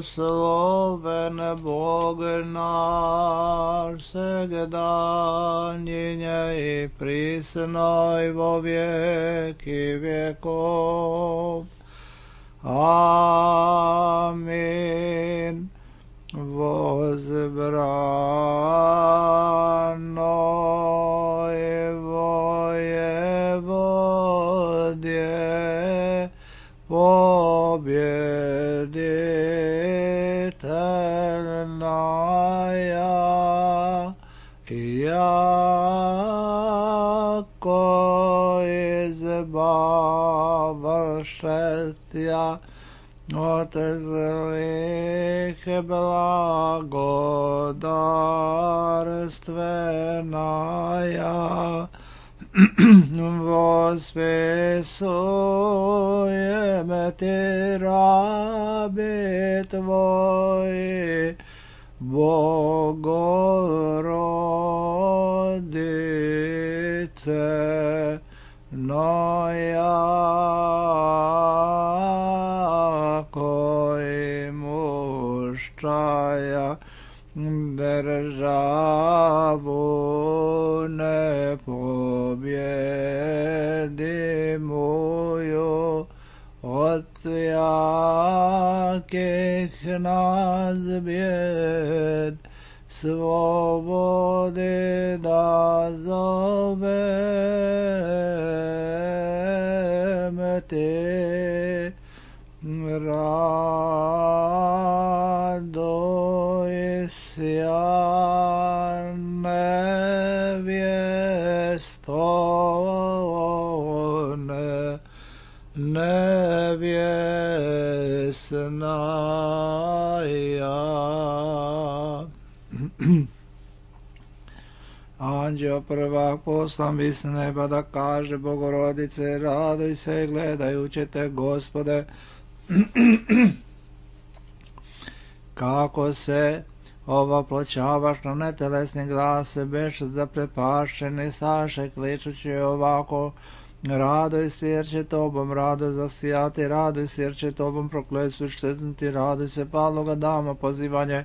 Blagosloven Bog naš, всегда, ныне и присно и во веки веков. Аминь. Возбранное воеводие, победительная, яко избавшестя от злых благодарственная, восписуем Ти раби Твои, Богородице, но яко имущая державу непобедимую от всяких нас бед, свободы дозовем Ти. Радуйся, невестная. Anđeo prvak poslan bi s neba da kaže: Bogorodice, raduj se gledajući te, Gospode, kako se ovoploćavaš na netelesni glas, beš zaprepašćeni saše, kličući ovako: raduj se jer će tobom radost zasijati, raduj se jer će tobom prokletstvo štetnuti, raduj se padloga dama pozivanje,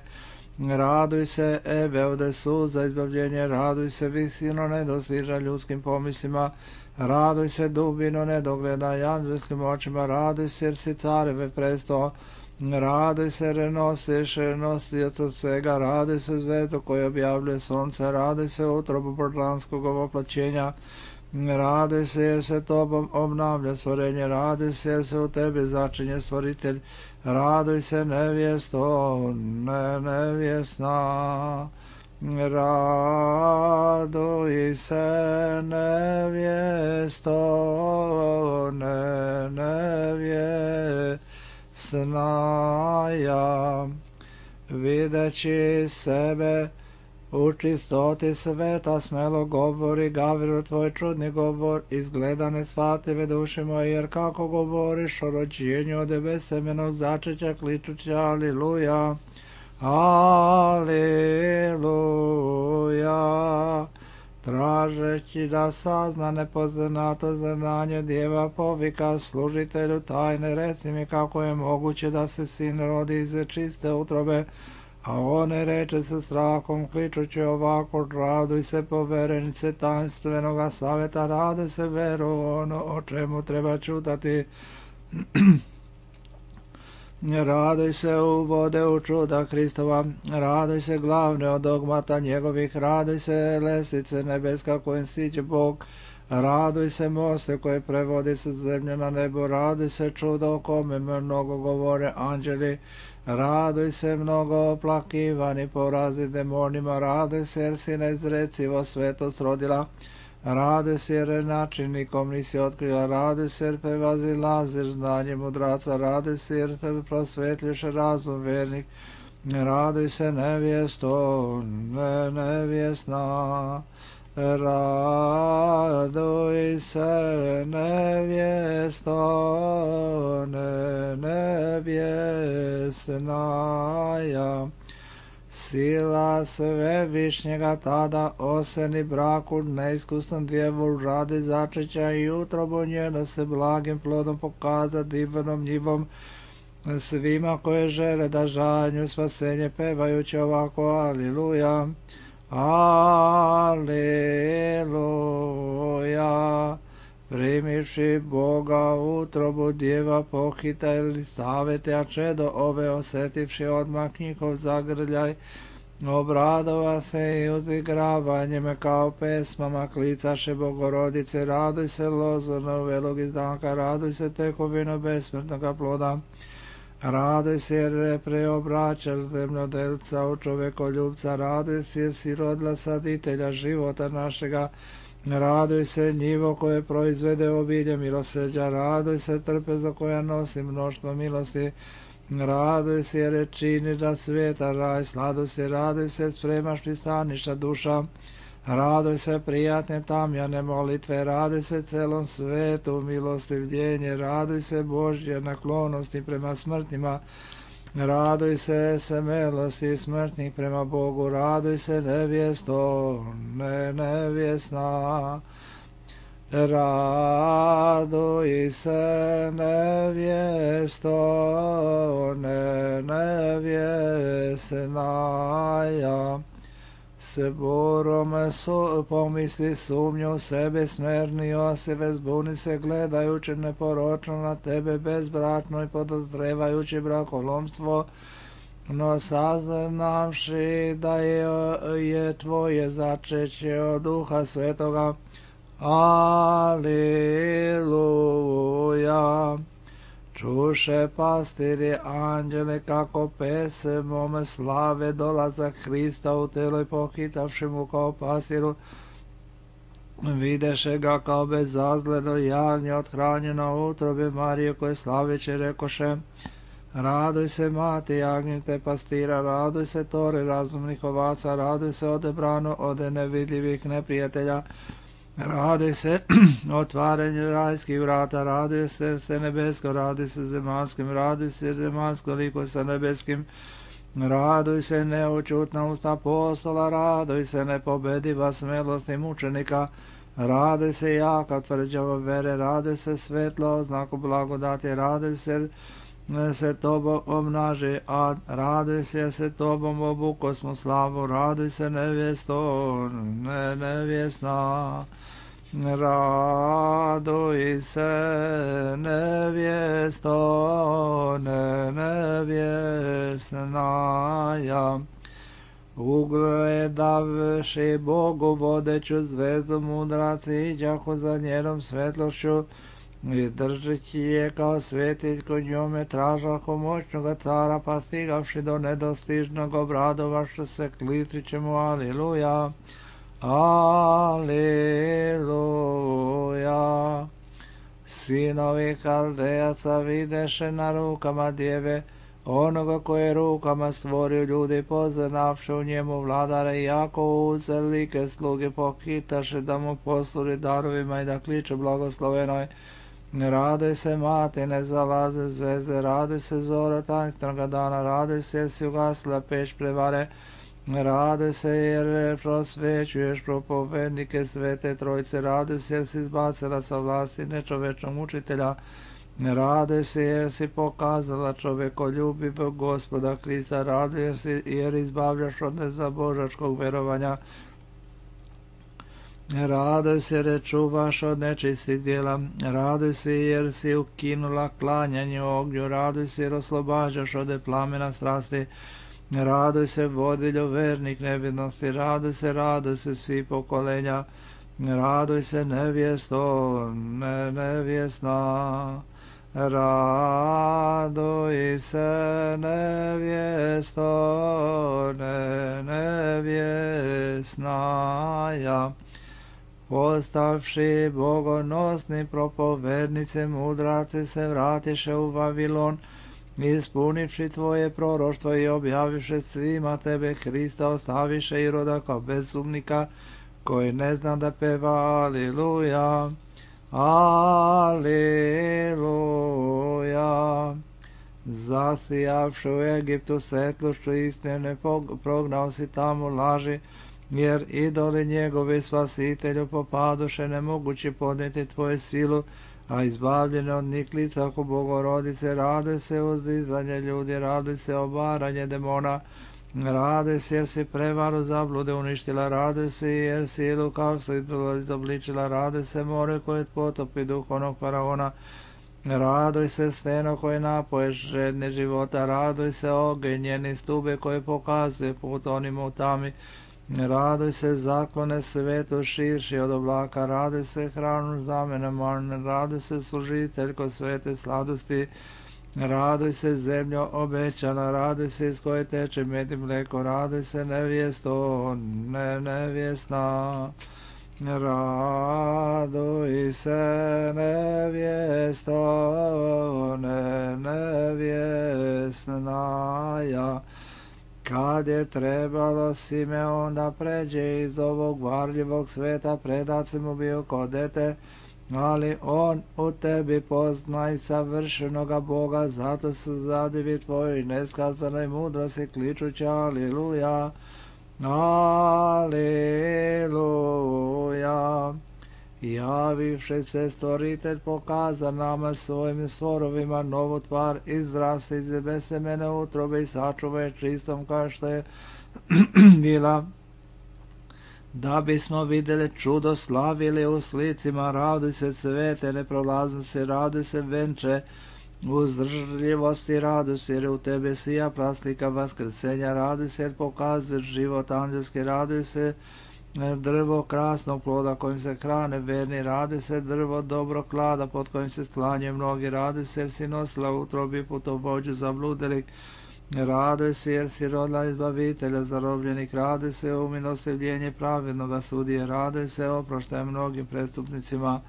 raduj se Ebeode suza izbavljenje, raduj se visino nedostiža ljudskim pomislima, raduj se dubino nedogledaj anđelskim očima, raduj se jer si careve presto, raduj se jer nosiš nosioca svega, raduj se zvezdo koje objavljuje sunce, raduj se utrobu portlanskog ovoploćenja, raduj se jer se tobom obnavlja stvorenje, raduj se jer se u tebi začinje stvoritelj, raduj se nevjesto, nevjesna, raduj se nevjesto, nevjesnaja, videći sebe u čistoti sveta, smelo govori, Gavrilu tvoj čudni govor, izgleda nesvatljive duše moje, jer kako govoriš o rođenju od besemenog začeća, kličući aliluja, aliluja, tražeći da sazna nepoznato znanje, djeva povika služitelju tajne, reci mi kako je moguće da se sin rodi iz čiste utrobe, a one reče sa strahom, kličući ovako: raduj se poverenice tanstvenoga saveta, raduj se veru ono o čemu treba čutati, raduj se uvode u čuda Hristova, raduj se glavne od dogmata njegovih, raduj se lestvice nebeska kojim siđe Bog, raduj se moste koje prevodi sa zemlje na nebo, raduj se čudo o kome mnogo govore anđeli, raduj se mnogo oplakivani porazi demonima, raduj se jer si nezrecivo svetost rodila, raduj se jer načinnikom nisi otkrila, raduj se jer te vazilaziš znanje mudraca, raduj se jer te prosvetljuš razum vernik, raduj se nevjesto, nevjesna, raduj se nevjesto, nevjesnaja, sila svevišnjega tada oseni braku neiskusnom djevu radi začeća i utrobu njeno se blagim plodom pokaza divnom njivom, svima koje žele da žanju spasenje pevajući ovako Aliluja, Aliluja. Primivši Boga utrobu djeva pohita ili stavete, a čedo ove osetivši odmah njihov zagrljaj, obradova se i uzigravanjem kao pesmama klicaše Bogorodice, raduj se lozorno velog izdanka, raduj se tekovino besmrtnoga ploda, raduj se jer je preobraćaš zemljodelca u čovekoljubca, raduj se jer si rodila saditelja života našega, raduj se njivo koje proizvede obilje milosrđa, raduj se trpezo koja nosi mnoštvo milosti, raduj se jer je činiš da svijeta raj, sladuj se, raduj se, spremaš pristaništa duša, raduj se prijatne tamjane molitve, raduj se celom svetu milosti vdjenje, raduj se Božje naklonosti prema smrtnima, raduj se milosti smrtnih prema Bogu, raduj se nevjesto, nevjesna, raduj se nevjesto, nevjesnaja, se borome pomisli sumnju sebe smernio, se vezbuni se gledajući neporočno na tebe bezbratno i podozrevajući brakolomstvo, no saznavši da je tvoje začeće od Duha Svetoga. Aliluja. Čuše pastiri anđele kako pese mome slave dolazak Hrista u telo i pohitavši mu kao pasiru, videše ga kao bezazleno jagnje othranjeno u utrobi Marije koje slaveće rekoše, raduj se mati jagnjete pastira, raduj se tore razumnih ovaca, raduj se odebrano od nevidljivih neprijatelja, raduj se otvaranje rajskih vrata, raduj se nebesko, raduj se zemanskim, raduj se zemansko liko sa nebeskim, raduj se neučutna usta apostola, raduj se nepobediva smelosti mučenika, raduj se jaka tvrđava vere, raduj se svetlo oznaku blagodati, raduj se tobom obnaži ad, raduj se tobom obukosmu slavu, raduj se nevjesto, nevjesna, raduj se nevjesto, nevjesnaja. Ugledavši Bogu vodeću zvezdu mudraci iđahu za njenom svetlošću i držeći je kao svetiljko kod njome tražahu moćnoga cara, pa stigavši do nedostižnog obradovaše se klitriće mu Aliluja, Aliluja. Sinovi Haldejaca videše na rukama djeve onoga koje je rukama stvorio ljudi, poznavši u njemu vladare, jako uzelike sluge pohitaše da mu posluri darovima i da kliče blagoslovenoj. Raduj se mati, ne zalaze zvezde, raduj se zora tajnstvenoga dana, raduj se jer si ugasila peć prevare, raduj se jer prosvećuješ propovednike svete trojce, raduj se jer si izbacila sa vlasti nečovečnog učitelja, raduj se jer si pokazala čovekoljubivog Gospoda Krista, raduj jer izbavljaš od nezabožačkog verovanja, raduj se jer čuvaš od nečistih djela, raduj se jer si ukinula klanjanje ognju, raduj se jer oslobađaš od plamena strasti, raduj se vodiljo vernik nevidnosti, raduj se svi pokolenja, raduj se nevjesto, nevjesna, raduj se nevjesto, nevjesnaja. Postavši bogonosni propovednice, mudraci se vratiše u Vavilon, ispunivši tvoje proroštvo i objaviše svima tebe Hrista, ostaviše Iroda kao bezumnika, koji ne zna da peva Aliluja, Aliluja. Zasijavši u Egiptu svetlošću istine, prognao si tamo laži, jer idoli njegovi spasitelju popaduše nemogući podnijeti tvoju silu, a izbavljene od niklica oko Bogorodice, raduj se uzdizanje ljudi, raduj se obaranje demona, raduj se jer si prevaru zablude uništila, raduj se jer si lukavstvo izobličila, raduj se more koje potopi duh onog faraona, raduj se steno koje napoješ žedne života, raduj se ogenj njeni stube koje pokazuje put onima u tami, raduj se zaklone svetu širši od oblaka, raduj se hranu zamene marne, raduj se služiteljko svete sladosti, raduj se zemljo obećana, raduj se iz koje teče med i mleko, raduj se nevjesto, nevjesna, raduj se nevjesto, nevjesnaja. Kad je trebalo Simeon da pređe iz ovog varljivog sveta, predat se mu bio ko dete, ali on u tebi poznaj savršenoga Boga, zato su zadivi tvoji neskazanoj mudrosti kličući aliluja, aliluja. Javivši se stvoritelj pokaza nama svojim stvorovima novu tvar, izrasti iz besemene utrobe i sačuvaj čistom kao što je bila, da bismo vidjeli čudo, slavili u slicima, raduj se svete neprolaznosti, raduj se venče uzdržljivosti, raduj se jer u tebe sija praslika vaskrsenja, raduj se jer pokazuješ život anđelski, raduj se drvo krasnog ploda kojim se hrane verni, raduj se drvo dobro klada pod kojim se sklanjaju mnogi, raduj se jer si nosila utrobi putovođu zabludjelih, raduj se jer si rodila izbavitelja zarobljenih, raduj se u milostivljenje pravednoga sudije, raduj se oproštaj mnogim prestupnicima,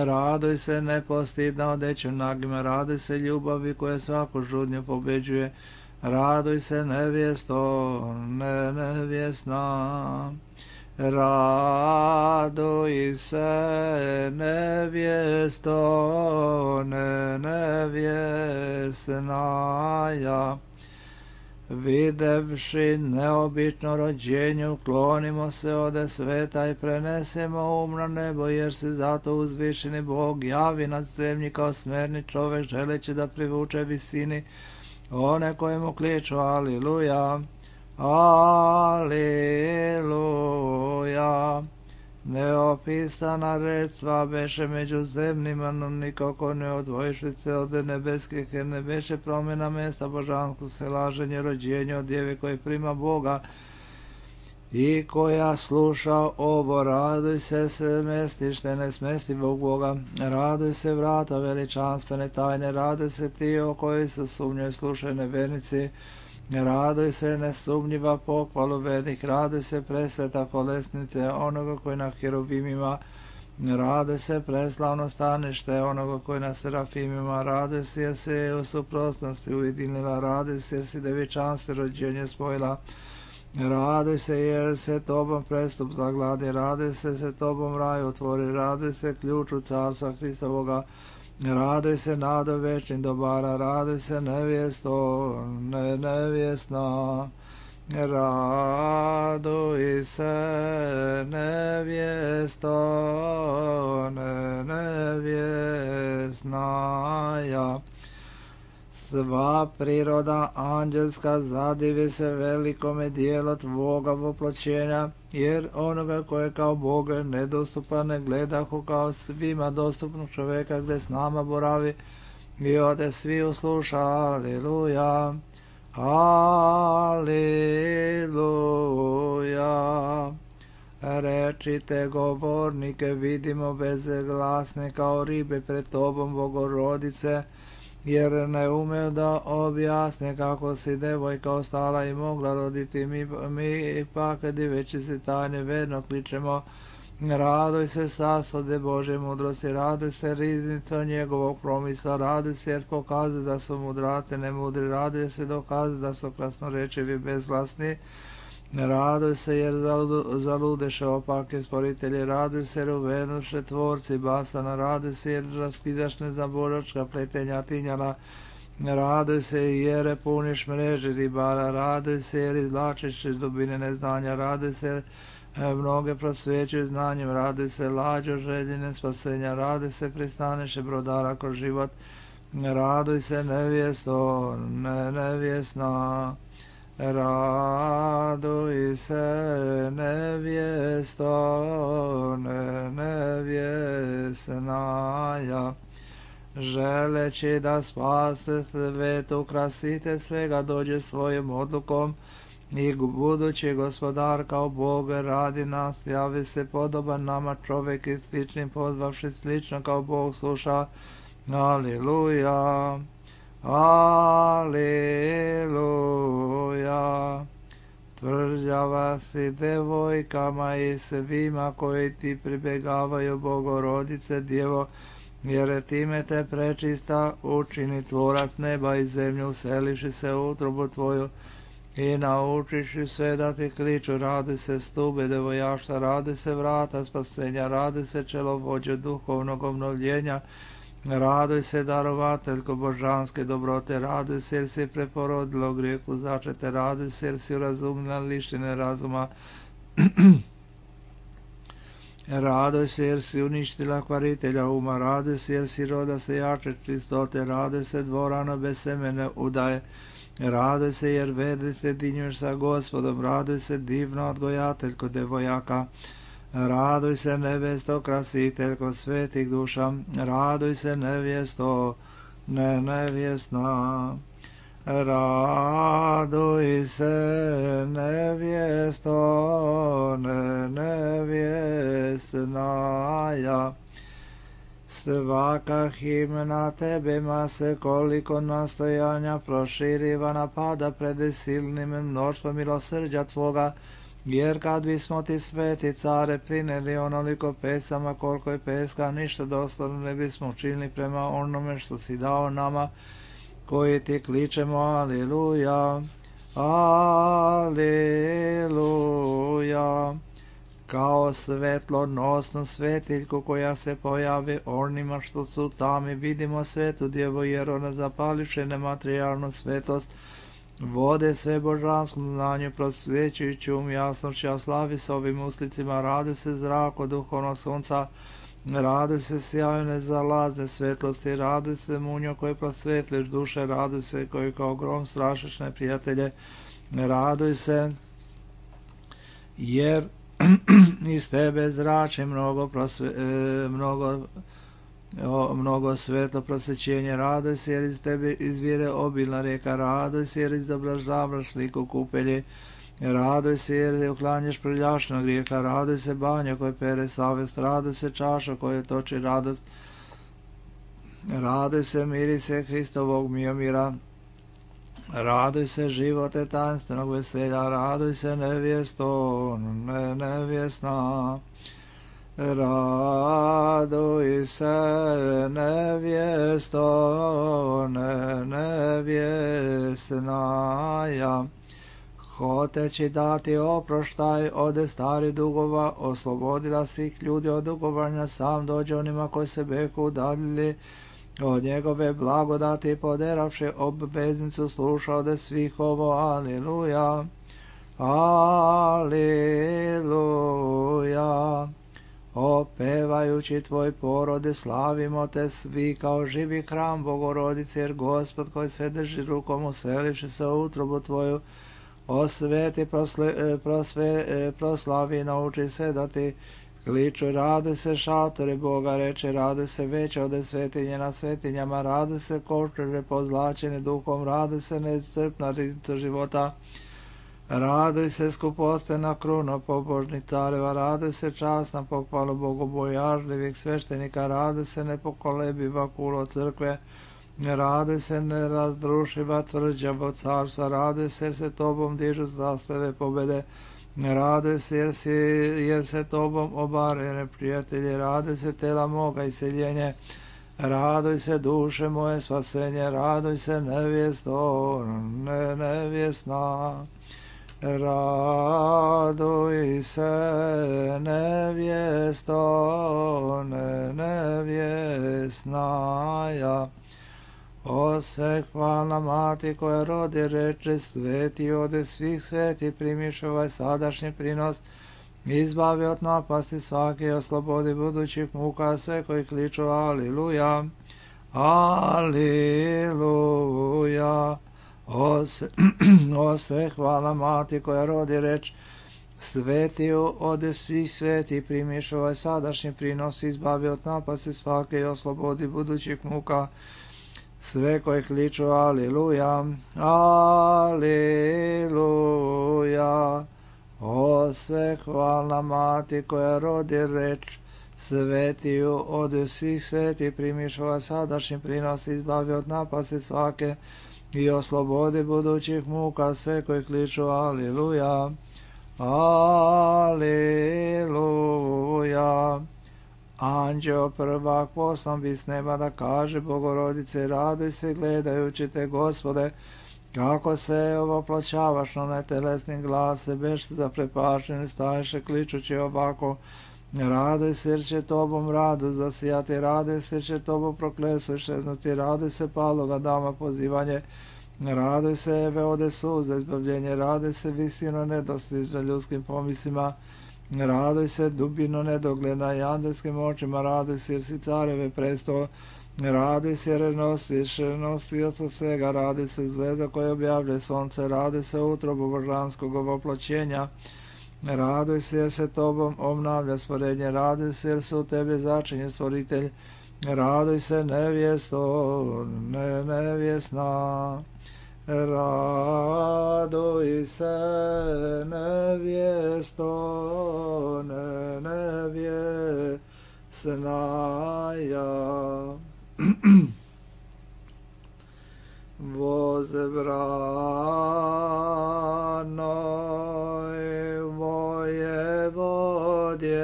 raduj se nepostidna odeću nagima, raduj se ljubavi koja svaku žudnju pobeđuje, raduj se nevjesto, nevjesna, raduj se nevjesto, nevjesnaja. Videvši neobično rođenje, uklonimo se ode sveta i prenesemo na nebo, jer se zato uzvišeni Bog javi nad zemlji kao smerni čovek, želeći da privuče visini one kojemu kliču aliluja, aliluja. Neopisana redstva beše među zemljima, no nikako ne odvojiši se od nebeskih, jer ne beše promjena mesta božansko se laženje rođenje od djeve koje prima Boga i koja sluša ovo, raduj se mestište nesmestivog Boga, raduj se vrata veličanstvene tajne, raduj se ti o koji se sumnjaju slušaju nevernici, raduj se nesumnjiva pohvalu vernih, raduj se presveta kolesnice onoga koji na heruvimima, raduj se preslavno stanište onoga koji na serafimima, raduj se jer se u suprotnosti ujedinila, raduj se jer si devičanstvo rođenje spojila, raduj se jer se tobom prestup zagladi, raduj se tobom raj otvori, raduj se ključu carstva Hristovoga, raduj se nado večnih dobara, raduj se nevjesto, nevjesna, raduj se nevjesto, nevjesnaja. Sva priroda anđelska zadivi se velikome dijelu tvoga voploćenja, jer onoga koje kao Boga nedostupan ne gledahu kao svima dostupnog čoveka gdje s nama boravi i ode svi usluša, aliluja, aliluja. Rečite govornike, vidimo bezglasne kao ribe pred tobom Bogorodice, jer ne ume da objasne kako si devojka ostala i mogla roditi, mi ipak diveći se tajne verno kličemo, raduj se sasode Bože mudrosti, raduj se riznico njegovog promisla, raduj se jer pokazuje da su mudraci nemudri, raduj se dokazuje da su krasnorečivi bezglasni, raduj se jer zaludeše opake sporitelji, raduj se jer uvenuše tvorci basana, raduj se jer raskidaš nezaboračka pletenja tinjala, raduj se jer puniš mreže ribara, raduj se jer izvlačiš iz dubine neznanja, raduj se Mnoge prosvjećuju znanjem, raduj se lađo željene spasenja, raduj se pristaneše brodara kroz život, raduj se nevjesto, nevjesna, raduj se nevjesto, nevjesnaja, želeći da spase svet, ukrasite svega, dođe svojom odlukom, i budući gospodar kao Bog radi nas, javi se podoban nama čovjek i sličnim pozvavši slično kao Bog sluša. Aleluja, aleluja. Tvrđava si devojkama i svima koji ti pribjegavaju, Bogorodice Djevo, jer time te prečista učini tvorac neba i zemlju, useliši se u utrobu tvoju i naučiš sve da ti kliču. Radi se stube devojaštva, radi se vrata spasenja, radi se čelovođe duhovnog obnovljenja, raduj se darovateljko božanske dobrote, raduj se jer si preporodila u grijehu začete, raduj se jer si urazumila lištine razuma, raduj se jer si uništila kvaritelja uma, raduj se jer si roda se jače čistote, raduj se dvorano bez semene udaje, raduj se jer vedi se dinjuješ sa Gospodom, raduj se divno odgojateljko devojaka, raduj se nevesto krasiteljko svetih duša, raduj se nevjesto, nevjesna, raduj se nevjesto, nevjesnaja. Svaka himna tebema se koliko nastojanja proširiva napada pred silnim mnoštvom milosrđa tvoga, jer kad bismo ti sveti care prineli onoliko pesama koliko je peska, ništa doslovno ne bismo učinili prema onome što si dao nama koji ti kličemo aleluja, aleluja. Kao svetlonosnu svetiljku koja se pojavi onima što su tami, vidimo svetu djevo, jer ona zapališe nematerijalnu svetost, vode sve božanskom znanju, prosvjećujući jasnošću, a slavi s ovim uslicima, radi se zrak od duhovnog sunca, radi se sjaju nezalazne svetlosti, radi se munjo koji prosvetliš duše, radi se koji kao grom strašiš neprijatelje, raduj se jer iz tebe zrači mnogo svetlo prosvećenje, raduj se jer iz tebe izvire obilna rijeka, raduj se jer izobražavaš sliku kupelje, raduj se jer uklanjaš prljašnog grijeha, raduj se banja koje pere savest, raduj se čaša koje toči radost, raduj se mirise Hristovog mira, raduj se živote tajnstvenog veselja, raduj se nevjesto, nevjesna, raduj se nevjesto, nevjesnaja, hoteći dati oproštaj ode stari dugova, oslobodila svih ljudi od dugovanja, sam dođe onima koji se beku udaljili od njegove blagodati, poderavši obveznicu, sluša ode svih ovo, aleluja, aleluja. Opevajući tvoj porode, slavimo te svi kao živi hram Bogorodice, jer Gospod koji se drži rukom useliši se u utrobu tvoju, osveti, proslavi, nauči se da ti kliču, rade se šatore Boga, reče, rade se veće ode svetinje na svetinjama, rade se košare pozlačene duhom, rade se neiscrpna riznica života, raduj se skupostena kruna pobožnih careva, raduj se časna pohvalu bogobojažljivih sveštenika, raduj se nepokolebiva kulo crkve, raduj se nerazdrušiva tvrđavo carstva, raduj se jer se tobom dižu zastave pobede, raduj se jer se tobom obare neprijatelji, raduj se tela moga iseljenje, raduj se duše moje spasenje, raduj se nevjesto, nevjesna, raduj se nevjesto, nevjesnaja. Ose hvalna mati koja rodi, reče, sveti ode svih sveti, primiš ovaj sadašnji prinos, izbavi od napasti svake i oslobodi budućih muka sve koji kliču Aliluja, Aliluja. O sve hvala Mati koja rodi reč svetiju od svih sveti, primiš ovaj sadašnji prinos, izbavi od napasti svake i oslobodi budućih muka sve koji kliču Aliluja, Aliluja. O sve hvala Mati koja rodi reč svetiju od svih sveti, primiš ovaj sadašnji prinos, izbavi od napasti svake i oslobodi budućih muka sve koji kliču Aliluja, Aliluja. Anđeo prvak poslan bi s neba da kaže Bogorodice, raduj se gledajući te, Gospode, kako se ovoploćavaš na netelesnim glase, beš zaprepašen, staješe kličući ovako, raduj se jer će tobom radost zasijati, raduj se jer će tobom proklesu iščeznuti, raduj se paloga dama pozivanje, raduj se Eve ode suza izbavljenje, raduj se visino nedostižna ljudskim pomislima, raduj se dubino nedogledna i andelskim očima, raduj se jer si careve presto, raduj se jer nosioca svega, raduj se zvezda koja objavljuje sonce, raduj se utrobu božanskog ovoploćenja, raduj se jer se tobom obnavlja stvorenje, raduj se jer se u tebe začinje stvoritelj, raduj se nevjesto, nevjesna, raduj se nevjesto, nevjesnaja. Возбранoj воеводje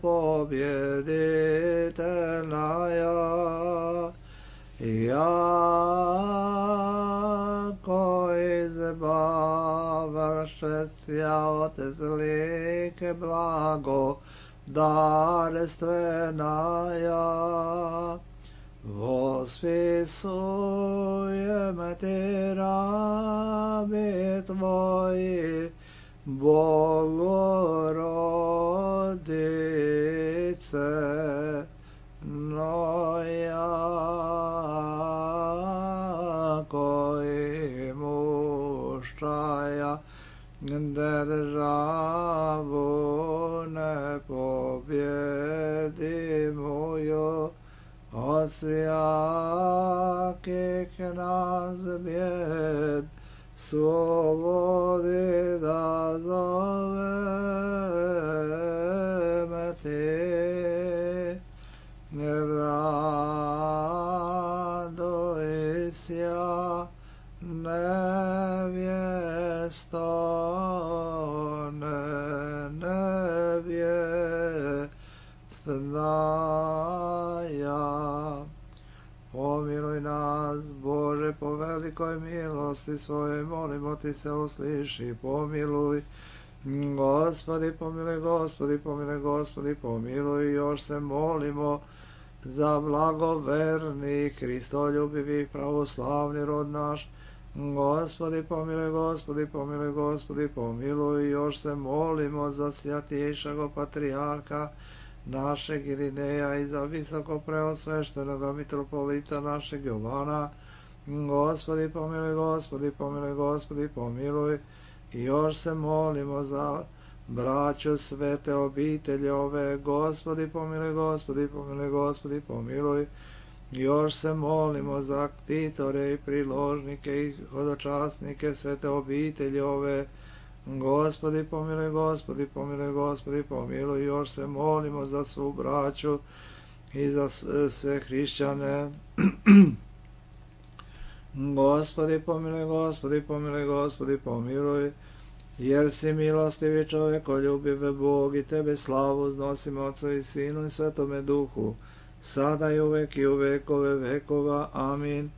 побjeditelnaja, jako izbavaše sja od zlike blago darstvenaja, vospisujem ti rabi tvoji, Bogorodice, no jako i muščaja državu ne pobjedimuju, od svijakih nas bjed slobodi da zoveme ti, raduj sja nevjesto, nevjesnaja. Pomiluj nas, Bože, po velikoj milosti svojoj, molimo ti se, usliši, pomiluj. Gospodi, pomiluj, Gospodi, pomiluj, Gospodi, pomiluj, još se molimo za blagoverni, Hristoljubivi, pravoslavni rod naš. Gospodi, pomiluj, Gospodi, pomiluj, Gospodi, pomiluj, još se molimo za svjatejšeg patrijarha našeg Irineja i za visoko preosveštenog mitropolita našeg Jovana. Gospodi, pomiluj, Gospodi, pomiluj, Gospodi, pomiluj, i još se molimo za braću svete obitelji ove. Gospodi, pomiluj, Gospodi, pomiluj, Gospodi, pomiluj, još se molimo za ktitore i priložnike i hodočasnike svete obitelji ove. Gospodi, pomiluj, Gospodi, pomiluj, Gospodi, pomiluj, još se molimo za svu braću i za sve hrišćane. Gospodi, pomiluj, Gospodi, pomiluj, Gospodi, pomiluj, jer si milostivi čovjekoljubive Bog, i tebe slavu uznosimo Otcu i Sinu i Svetome Duhu, sada i uvek i u vekove vekova. Amin.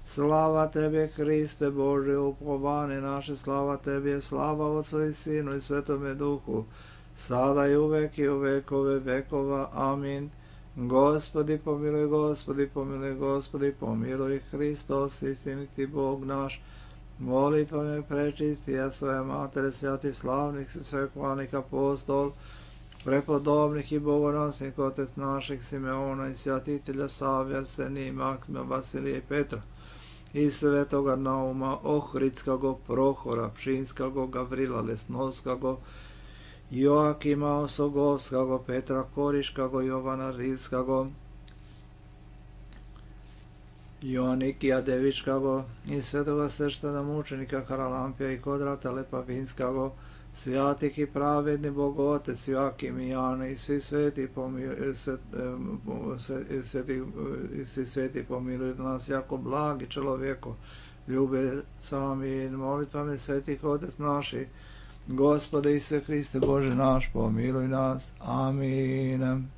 Slava tebi, Hriste Bože, upovane naše, slava tebi, slava Otcu i Sinu i Svetome Duhu, sada i uvek i u vekove vekova. Amin. Gospodi, pomiluj, Gospodi, pomiluj, Gospodi, pomiluj, Hristos, istiniti Bog naš, Molitvama prečistija svoja matere, svjati slavnih i svekovalnih apostol, prepodobnih i bogonosnih otec naših Simeona i svjatitelja Savija, Arsenija i Maksima, Vasilija i Petra, i svetoga Nauma, Ohridskago, Prohora, Pšinskago, Gavrila Lesnovskago, Joakima Osogovskago, Petra Koriškago, Jovana Rilskago, Joanikija Devičkago i svetoga sveštena mučenika Haralampija i Kodrata Lepavinskago, svjatih i pravedni Bogotec Joakim i Jana i svi sveti pomiluju nas jako blagi čovjeko, ljube sami molitvami svetih Otec naši, Gospode Isuse Hriste Bože naš, pomiluj nas. Amin.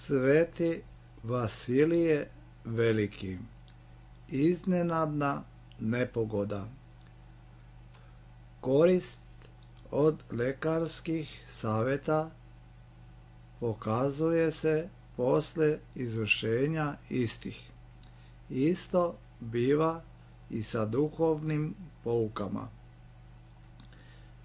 Sveti Vasilije Veliki. Iznenadna nepogoda. Korist od lekarskih savjeta pokazuje se posle izvršenja istih. Isto biva i sa duhovnim poukama.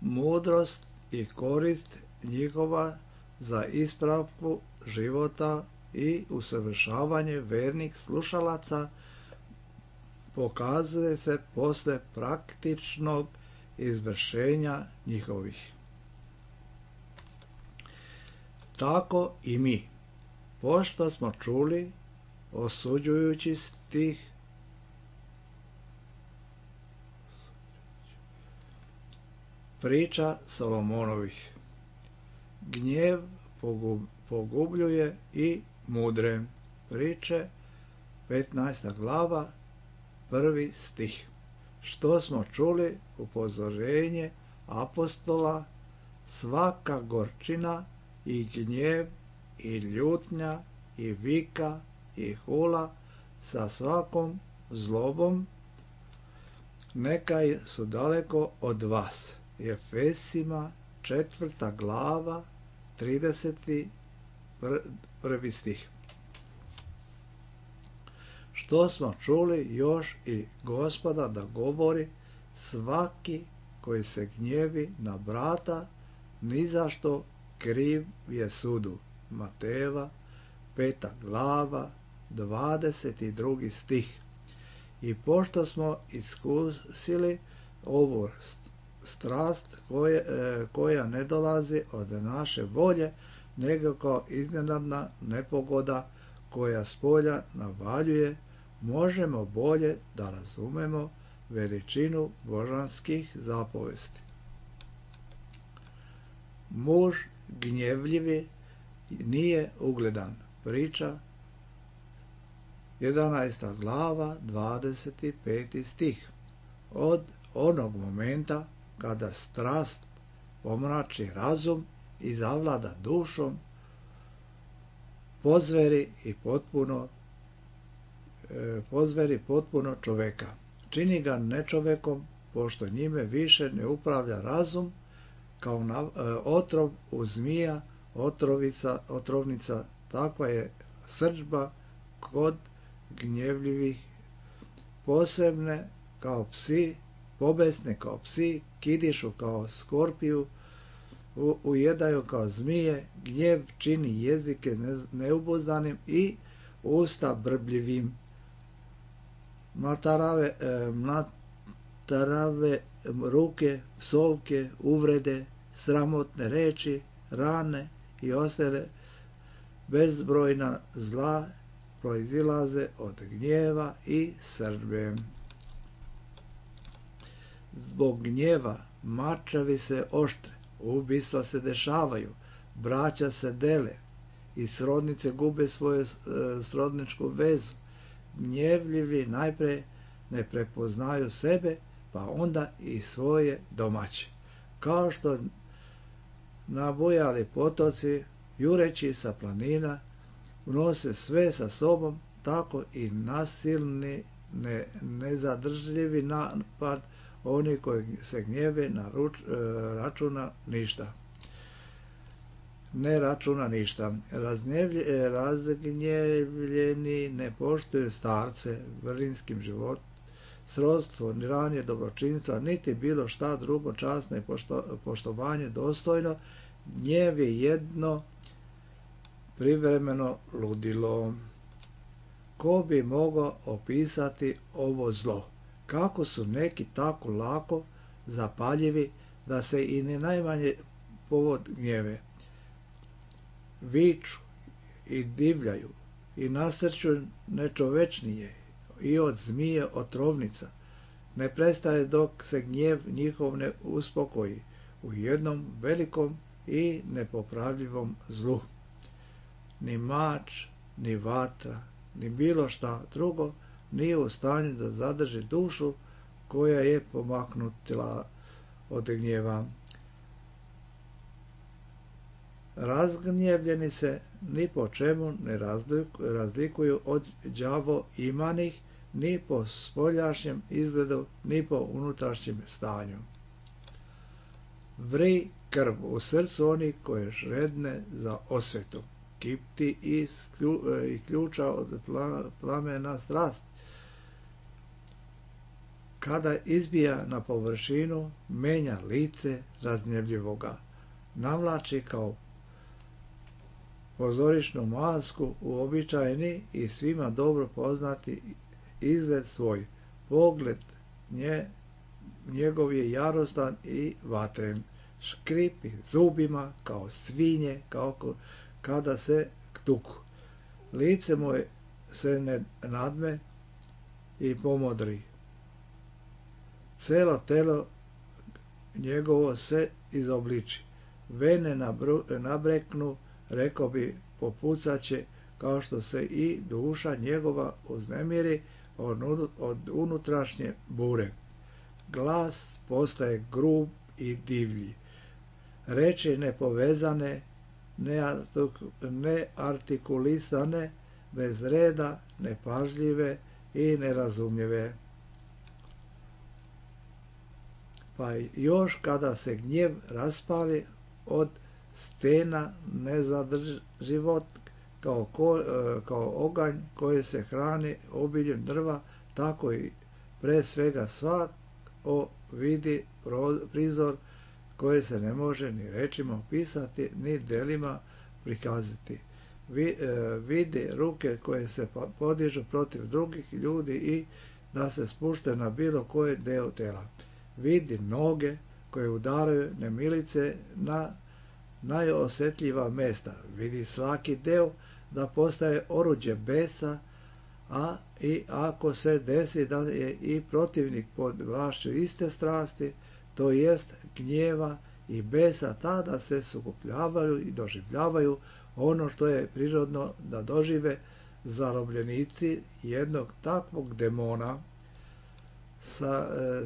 Mudrost i korist njihova za ispravku života i usavršavanje vernih slušalaca pokazuje se posle praktičnog izvršenja njihovih. Tako i mi, pošto smo čuli osuđujući stih priča Solomonovih. Gnjev pogubljuje i mudre. Priče 15. glava 1. stih. Što smo čuli upozorenje apostola, svaka gorčina i gnjev i ljutnja i vika i hula sa svakom zlobom neka su daleko od vas. Efesima 4. glava 31. stih. Što smo čuli još i Gospoda da govori, svaki koji se gnjevi na brata, ni zašto kriv je sudu. Matejeva 5. glava 22. stih. I pošto smo iskusili ovu strast koja ne dolazi od naše volje, nego kao iznenadna nepogoda koja spolja navaljuje, možemo bolje da razumemo veličinu božanskih zapovesti. Muž gnjevljivi nije ugledan. Priča 11. glava 25. stih. Od onog momenta kada strast pomrači razum i zavlada dušom, pozveri potpuno čoveka. Čini ga nečovekom, pošto njime više ne upravlja razum, kao otrov u zmija, otrovnica, takva je srdžba kod gnjevljivih, posebne kao psi, pobesne kao psi, kidišu kao skorpiju, ujedaju kao zmije, gnjev čini jezike neubuzdanim i usta brbljivim. Mlatarave ruke, psovke, uvrede, sramotne reči, rane i ostale bezbrojna zla proizilaze od gnjeva i srdbe. Zbog gnjeva mačevi se oštre, ubistva se dešavaju, braća se dele i srodnice gube svoju srodničku vezu. Gnjevljivi najpre ne prepoznaju sebe, pa onda i svoje domaće. Kao što nabujali potoci, jureći sa planina, unose sve sa sobom, tako i nasilni, nezadržljivi napad oni koji se gnjeve ne računa ništa. Razgnjevljeni ne poštuju starce vrlinskim životom, srodstvo, ni ranije dobročinstva, niti bilo šta drugo časno i poštovanje dostojno. Gnjev je jedno privremeno ludilo. Ko bi mogao opisati ovo zlo? Kako su neki tako lako zapaljivi da se i ni najmanje povod gnjeve. Viču i divljaju i nasrću nečovečnije i od zmije otrovnica. Ne prestaje dok se gnjev njihov ne uspokoji u jednom velikom i nepopravljivom zlu. Ni mač, ni vatra, ni bilo šta drugo nije u stanju da zadrži dušu koja je pomaknutila od gnjeva. Razgnjevljeni se ni po čemu ne razlikuju od đavo imanih, ni po spoljašnjem izgledu, ni po unutrašnjem stanju. Vri krv u srcu onih koje žedne za osvetu, kipti i ključa od plamena strast. Kada izbija na površinu, menja lice razgnjevljivoga, navlači kao pozorišnu masku uobičajeni i svima dobro poznati izgled svoj. Pogled njegov je jarostan i vatren, škripi zubima kao svinje, kao kada se tuku. Lice mu se ne nadme i pomodri. Celo telo njegovo se izobliči. Vene nabreknu, rekao bi, popucaće, kao što se i duša njegova uznemiri od unutrašnje bure. Glas postaje grub i divlji. Reči nepovezane, neartikulisane, bez reda, nepažljive i nerazumljive. Pa još kada se gnjev raspali od stena nezadrživot, kao oganj koji se hrani obiljem drva, tako i pre svega svako vidi prizor koji se ne može ni rečima opisati, ni delima prikazati. Vidi ruke koje se podižu protiv drugih ljudi i da se spušte na bilo koji deo tela. Vidi noge koje udaraju nemilice na najosjetljiva mesta. Vidi svaki deo da postaje oruđe besa, a i ako se desi da je i protivnik pod vlašću iste strasti, to jest gnjeva i besa, tada se sukupljavaju i doživljavaju ono što je prirodno da dožive zarobljenici jednog takvog demona.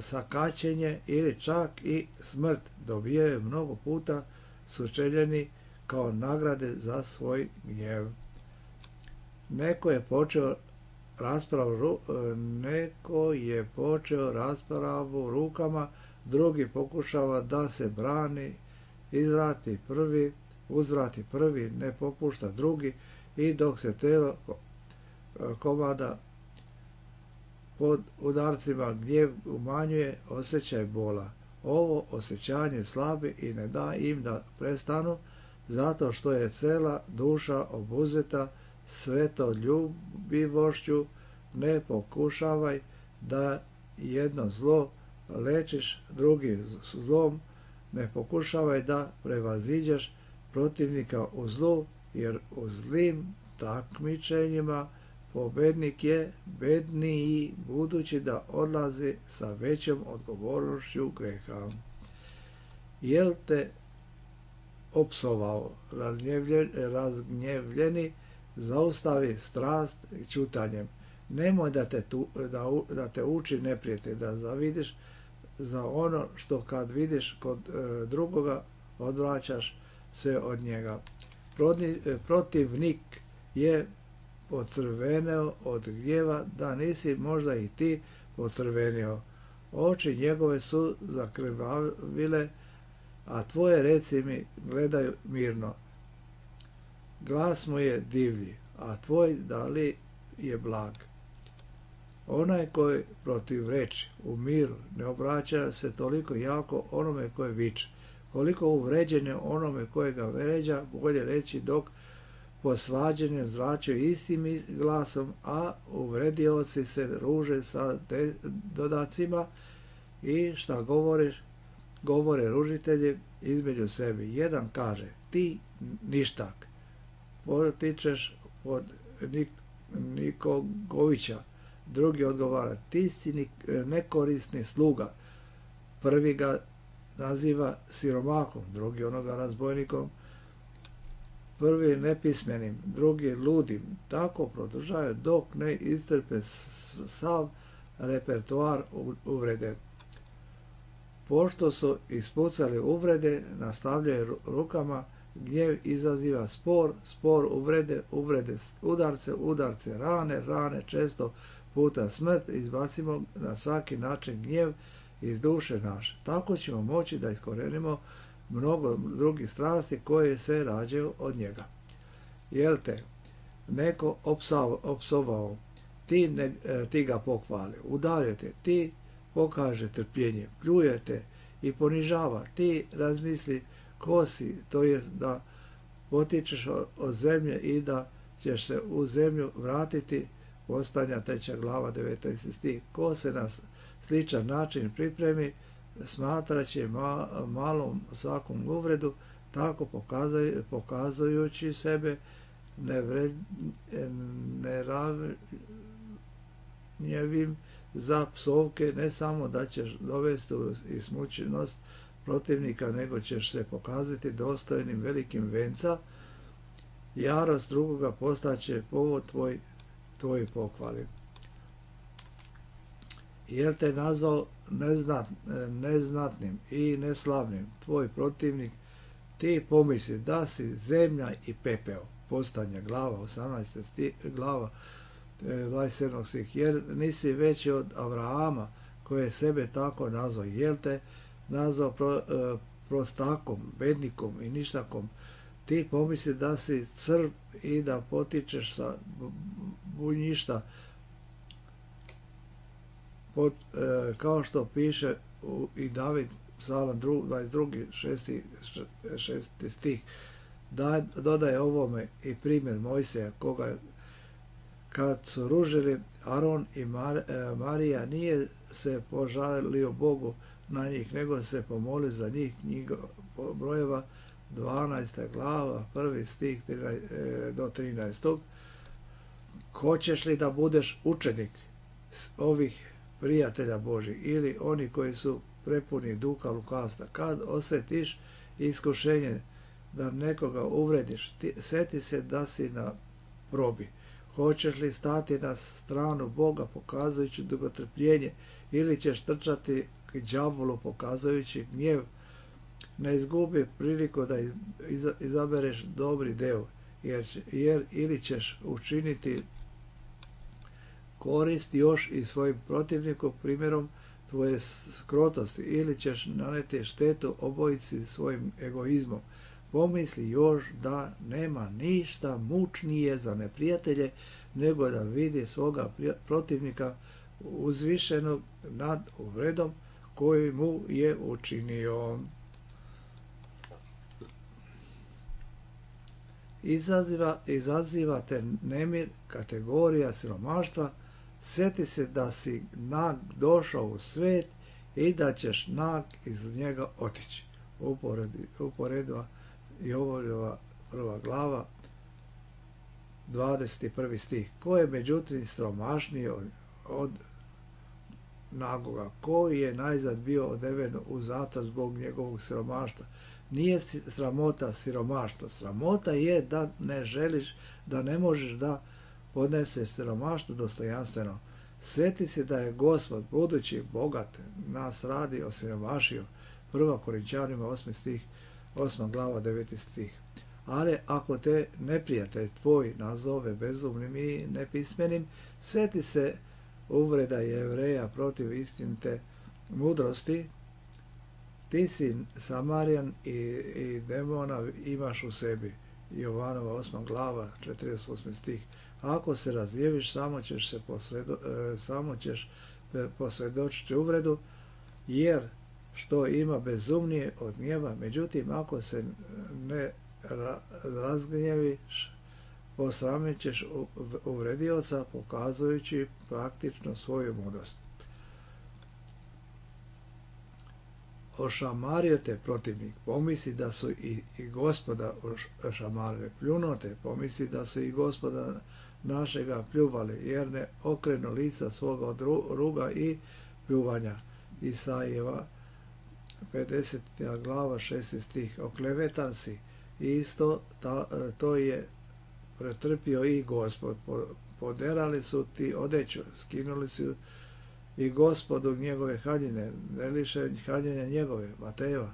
Sakaćenje ili čak i smrt dobijaju mnogo puta sučeljeni kao nagrade za svoj gnjev. Neko je počeo raspravu rukama, drugi pokušava da se brani, uzvrati prvi, ne popušta drugi, i dok se telo komada pod udarcima gnjev umanjuje osjećaj bola. Ovo osjećanje slabi i ne da im da prestanu, zato što je cela duša obuzeta svetoljubivošću. Ne pokušavaj da jedno zlo lečiš drugi zlom, ne pokušavaj da prevaziđeš protivnika u zlu, jer u zlim takmičenjima pobednik je bedniji, budući da odlazi sa većom odgovornošću greha. Jel te opsovao razgnjevljeni, zaustavi strast ćutanjem. Nemoj da te uči neprijatelj, da zavidiš za ono što kad vidiš kod drugoga odvraćaš se od njega. Protivnik je pocrveneo od gnjeva, da nisi možda i ti pocrvenio. Oči njegove su zakrvavile, a tvoje reci mi gledaju mirno. Glas mu je divlji, a tvoj da li je blag. Onaj koji protivreči u miru ne obraća se toliko jako onome koje viče, koliko uvređenje onome koje ga vređa, bolje reći, dok po svađanju zračaju istim glasom, a uvredioci se ruže sa dodacima i šta govore ružitelji između sebi. Jedan kaže, ti ništak, potičeš od Nikogovića. Drugi odgovara, ti si nekorisni sluga. Prvi ga naziva siromahom, drugi onoga razbojnikom, prvi nepismenim, drugi ludim. Tako produžaju dok ne iscrpe sav repertoar uvrede. Pošto su ispucali uvrede, nastavljaju rukama, gnjev izaziva spor uvrede udarce, rane, često puta smrt. Izbacimo na svaki način gnjev iz duše naše. Tako ćemo moći da iskorenimo mnogo drugih strasti koje se rađaju od njega. Jel te neko opsovao, ti ga pohvali, udarjate, ti pokaže trpljenje, pljujete i ponižava, ti razmisli ko si, to je da potičeš od zemlje i da ćeš se u zemlju vratiti. Postanja 3. glava 19. stih. Ko se na sličan način pripremi, smatraće malom svakom uvredu, tako pokazujući sebe neravnjevim za psovke, ne samo da ćeš dovesti u ismućenost protivnika, nego ćeš se pokazati dostojnim velikim venca. Jarost drugoga postaće povod tvoj pohvali. Jel te nazvao neznatnim i neslavnim tvoj protivnik, ti pomisli da si zemlja i pepeo. Postanja glava 18. glava 27. stih. Jer nisi veći od Avrahama koji je sebe tako nazvao. Jel te nazvao prostakom, bednikom i ništakom, ti pomisli da si crv i da potičeš sa bunjišta, kao što piše i David, Psalam 22. 6. stih. Dodaje ovome i primjer Mojsija, koga kad su ružili Aron i Marija, nije se požalio Bogu na njih, nego se pomolio za njih. Knjiga brojeva 12. glava 1. stih do 13. Hoćeš li da budeš učenik ovih prijatelja Božih ili oni koji su prepuni duha lukavstva? Kad osjetiš iskušenje da nekoga uvrediš, sjeti se da si na probi. Hoćeš li stati na stranu Boga pokazujući dugotrpljenje ili ćeš trčati k đavolu pokazujući gnjev? Ne izgubi priliku da izabereš dobri deo, jer ili ćeš učiniti korist još i svojim protivniku primjerom tvoje skrotosti, ili ćeš naneti štetu obojici svojim egoizmom. Pomisli još da nema ništa mučnije za neprijatelje nego da vidi svoga protivnika uzvišenog nad uvredom koju mu je učinio. Izazivate nemir, kategorija siromaštva. Sjeti se da si nag došao u svet i da ćeš nag iz njega otići. Uporedba Jovoljova 1. glava 21. stih. Ko je međutim siromašniji od nagoga? Koji je najzad bio odveden u zatvor zbog njegovog siromaštva? Nije sramota siromaštvo. Sramota je da ne želiš, da ne možeš da podneseš siromaštvo dostojanstveno. Sjeti se da je Gospod, budući bogat, nas radi osiromašio. 1. Korinčanima 8. stih, 8. glava 9. stih. Ali ako te neprijatelj tvoj nazove bezumnim i nepismenim, sjeti se uvreda Jevreja protiv istinite mudrosti. Ti si Samarijan i demona imaš u sebi. Jovanova 8. glava 48. stih. Ako se razjeviš, samo ćeš posvjedočiti uvredu, jer što ima bezumnije od gnjeva. Međutim, ako se ne razgnjeviš, posramit ćeš uvredioca, pokazujući praktično svoju mudrost. Ošamario te protivnik, pomisli da su i Gospoda ošamarili. Pljunuo te, pomisli da su i Gospoda našega pljuvali, jer ne okrenu lica svoga od ruga i pljuvanja. Isajeva 50. glava 6. stih. Oklevetan si, isto to je pretrpio i Gospod. Poderali su ti odeću, skinuli su i Gospodu njegove haljine, ne liše haljine njegove. Matejeva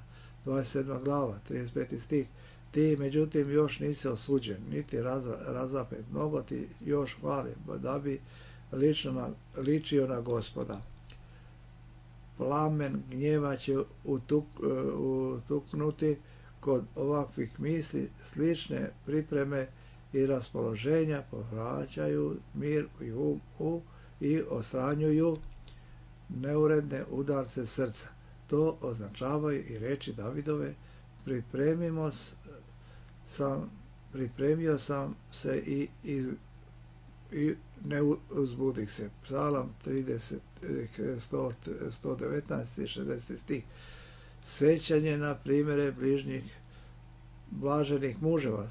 27. glava 35. stih. Ti međutim još nisi osuđen, niti razapet, mnogo ti još hvali, da bi ličio na Gospoda. Plamen gnjeva će utuknuti kod ovakvih misli, slične pripreme i raspoloženja povraćaju mir i ostranjuju neuredne udarce srca. To označavaju i reči Davidove: pripremio sam se i ne uzbudih se. Psalam 119. i 60. stih. Sećanje na primjere bližnjih blaženih muževa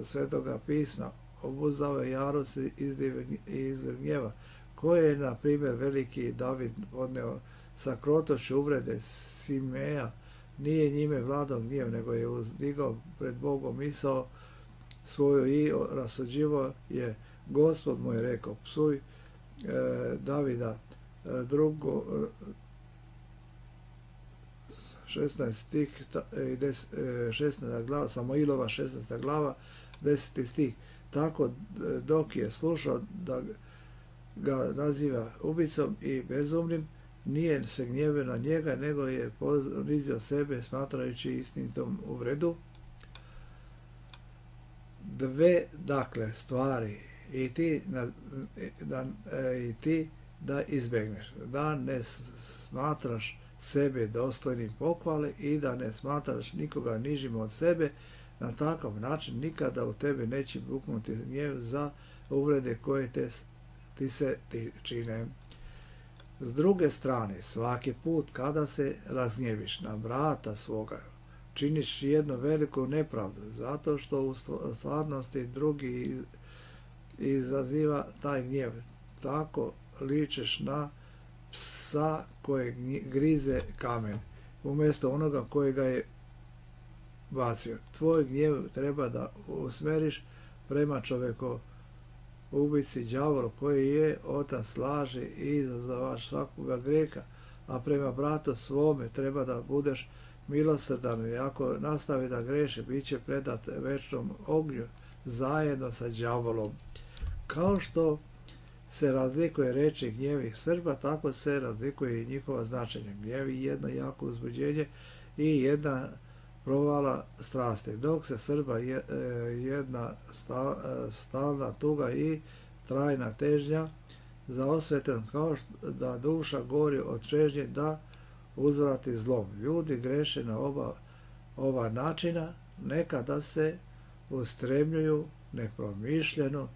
Svetoga pisma obuzdao je jarost iz gnjeva, koje je, na primjer, veliki David podneo sa krotošću uvrede Simeja. Nije njime vladao gnjev, nego je uzdigao pred Bogom misao svoju i rasuđivo je: Gospod mu je rekao, psuj Davida. 16 stih, 16. glava, Samoilova 16. glava, 10. stih. Tako dok je slušao da ga naziva ubicom i bezumnim, nije se gnjevio na njega, nego je ponizio sebe smatrajući istinitom uvredu. Dve, dakle, stvari i ti da izbegneš, da ne smatraš sebe dostojnim pohvale i da ne smatraš nikoga nižim od sebe. Na takav način nikada u tebe neće buknuti gnjev za uvrede koje ti se čine. S druge strane, svaki put kada se razgnjeviš na brata svoga, činiš jednu veliku nepravdu, zato što u stvarnosti drugi izaziva taj gnjev. Tako ličeš na psa koje grize kamen, umjesto onoga kojega je bacio. Tvoj gnjev treba da usmeriš prema čovjeku ubici, đavolu, koji je otac laži i izazavaš svakoga grijeha, a prema bratu svome treba da budeš milosrdan, i ako nastavi da greši, bit će predat večnom ognju zajedno sa đavolom. Kao što se razlikuje reči gnjevih Srba, tako se razlikuje i njihova značenja. Gnjevi jedno jako uzbuđenje i jedna provala strasti, dok se Srba jedna stalna tuga i trajna težnja za osvetom, kao da duša gori od čežnje da uzvrati zlom. Ljudi greše na ova načina, nekada se ustremljuju nepromišljeno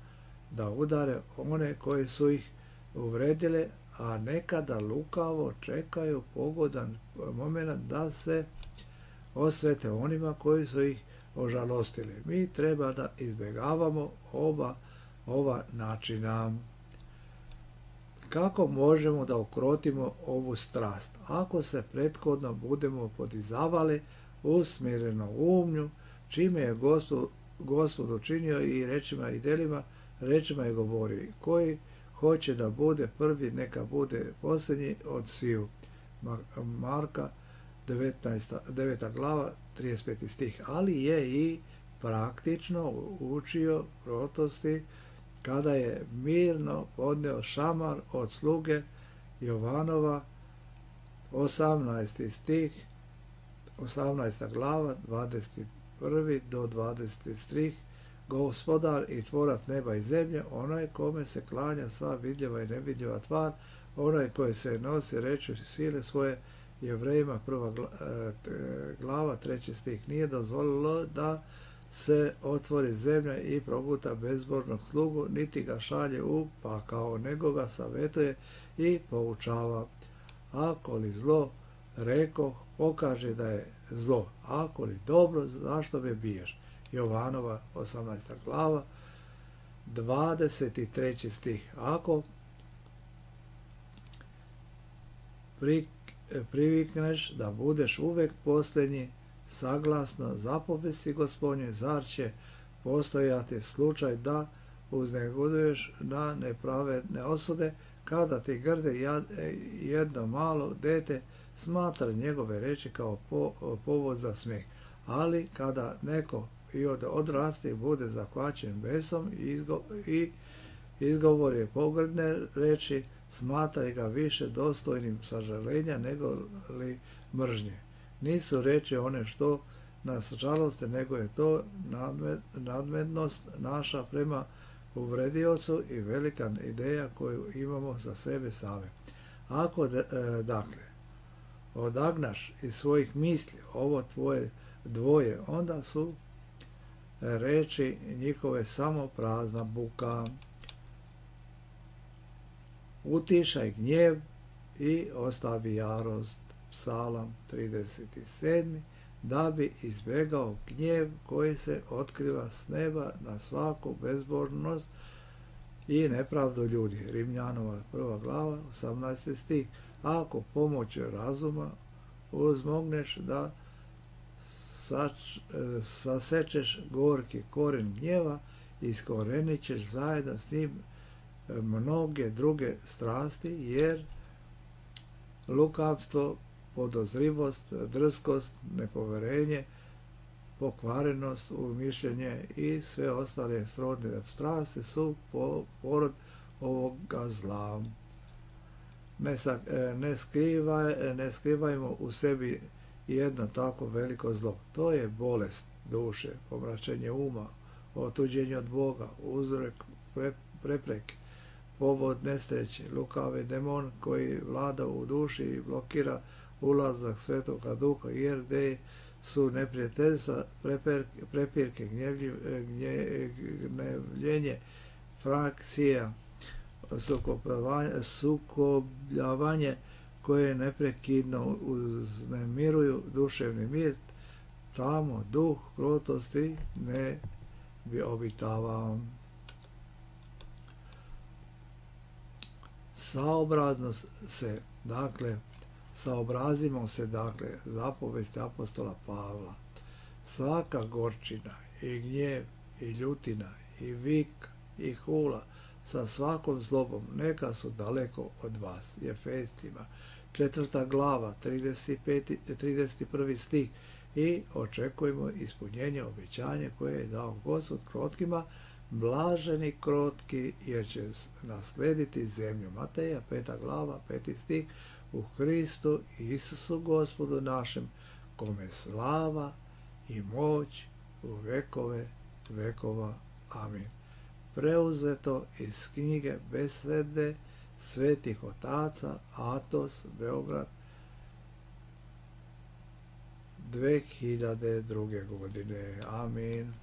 da udare one koji su ih uvredile, a nekada lukavo čekaju pogodan moment da se osvete onima koji su ih ožalostili. Mi treba da izbjegavamo ova načina. Kako možemo da ukrotimo ovu strast? Ako se prethodno budemo podizavali u smireno umnju, čime je Gospod učinio i rečima i delima, rečima je govori: koji hoće da bude prvi, neka bude posljednji od sviju. Marka 9. glava, 35. stih. Ali je i praktično učio krotosti kada je mirno podneo šamar od sluge Jovanova, 18. stih, 18. glava, 21. do 20. stih. Gospodar i tvorac neba i zemlje, onaj kome se klanja sva vidljiva i nevidljiva tvar, onaj koji se nosi reči sile svoje, Jevrejima 1. glava, 3. stih. Nije dozvolilo da se otvori zemlja i proguta bezbožnog slugu, niti ga šalje u pakao, nego ga savjetuje i poučava. Ako li zlo, rekoh, pokaže da je zlo. Ako li dobro, zašto me biješ? Jovanova 18. glava, 23. stih. Ako privikneš da budeš uvek posljednji, saglasno zapovesti Gospodnje, zar će postojati slučaj da uznegoduješ na nepravedne osude, kada ti grde jedno malo dete smatra njegove reči kao povod za smeh. Ali kada neko i odraste i bude zahvaćen besom i izgovori pogrdne reči, smatraj ga više dostojnim sažaljenja nego li mržnje. Nisu reči one što nas žaloste, nego je to nadmednost naša prema uvrediocu i velika ideja koju imamo za sebe same. Ako dakle odagnaš iz svojih misli ovo tvoje dvoje, onda su reči njihove samo prazna buka. Utišaj gnjev i ostavi jarost. Psalam 37. Da bi izbjegao gnjev koji se otkriva s neba na svaku bezbožnost i nepravdu ljudi. Rimljanova 1. glava 18. stih. Ako pomoću razuma uzmogneš da sasečeš gorki koren gnjeva, iskorenit ćeš zajedno s njim mnoge druge strasti, jer lukavstvo, podozrivost, drskost, nepoverenje, pokvarenost, umišljenje i sve ostale srodne strasti su porod ovoga zla. Ne skrivajmo u sebi jedno tako veliko zlo. To je bolest duše, pomračenje uma, otuđenje od Boga, uzrok prepreke, povod nesreće, lukavi demon koji vlada u duši i blokira ulazak Svetoga Duha, jer gdje su neprijateljstva, prepirke, gnjevljenje, frakcija, sukobljavanje koje neprekidno uznemiruju duševni mir, tamo duh krotosti ne bi obitavao. Saobrazimo se, zapovesti apostola Pavla. Svaka gorčina i gnjev i ljutina i vik i hula sa svakom zlobom neka su daleko od vas. Efescima 4. glava 31. stih. I očekujemo ispunjenje obećanja koje je dao Gospod krotkima. Blaženi krotki, jer će naslediti zemlju. Mateja 5. glava 5. stih. U Hristu Isusu Gospodu našem, kome slava i moć u vekove vekova. Amin. Preuzeto iz knjige Besede svetih otaca, Atos, Beograd, 2002. godine. Amin.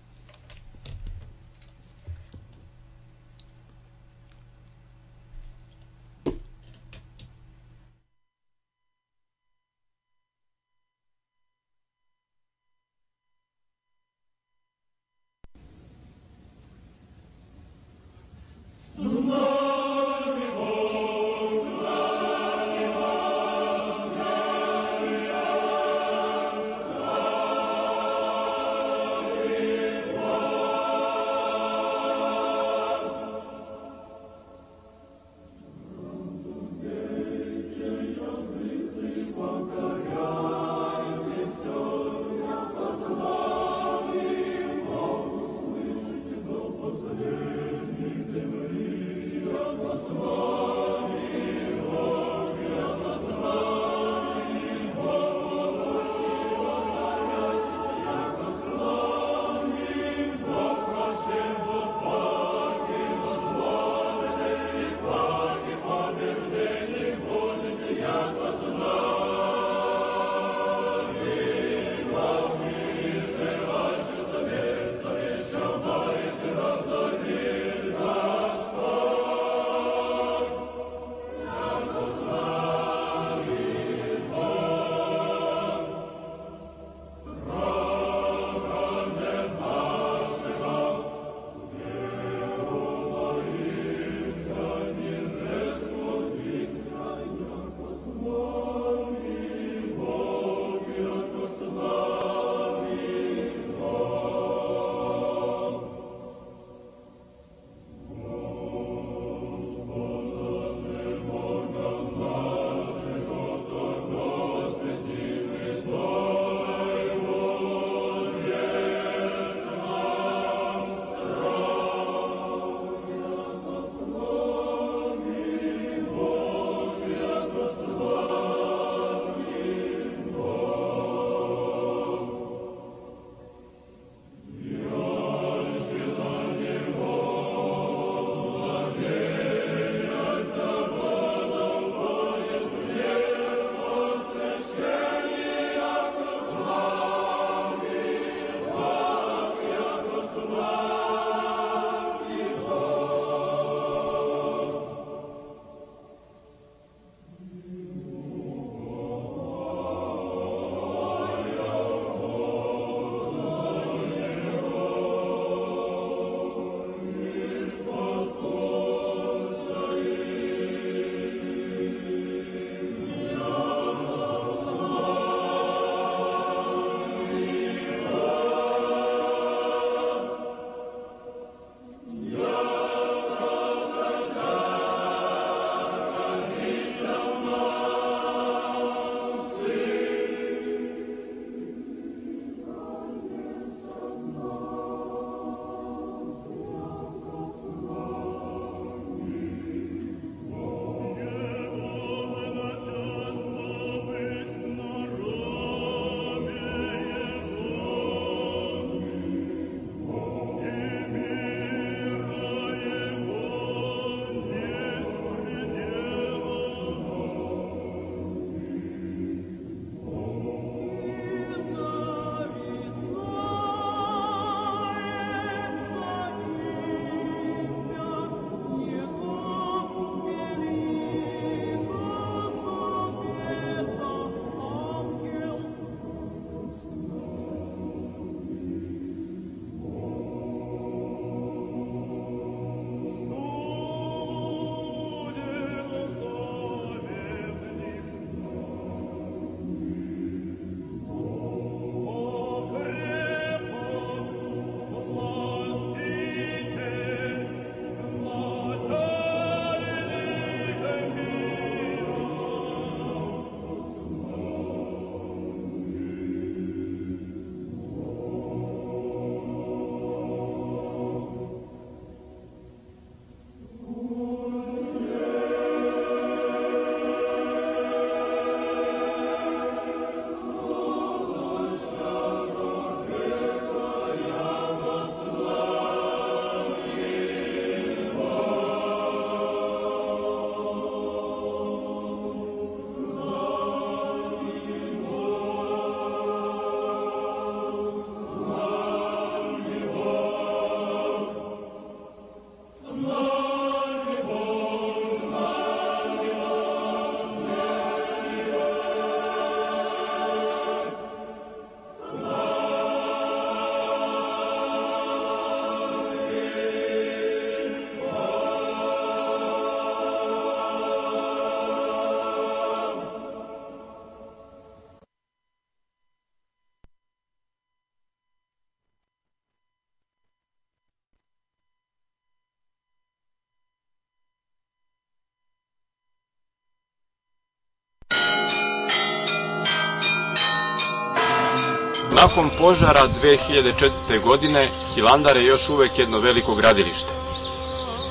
Nakon požara 2004. godine, Hilandar je još uvek jedno veliko gradilište.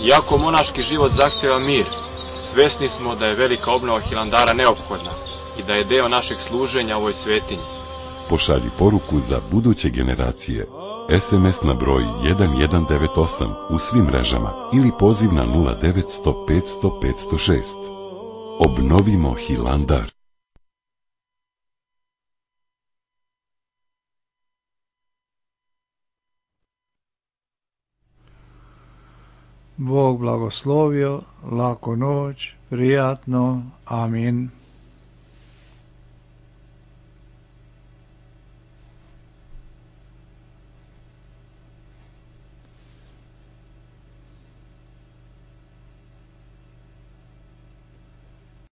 Iako monaški život zahteva mir, svesni smo da je velika obnova Hilandara neophodna i da je deo našeg služenja ovoj svetinji. Pošalji poruku za buduće generacije. SMS na broj 1198 u svim mrežama ili poziv na 0900 500 506. Obnovimo Hilandar. Bog blagoslovio, laku noć, prijatno, amin.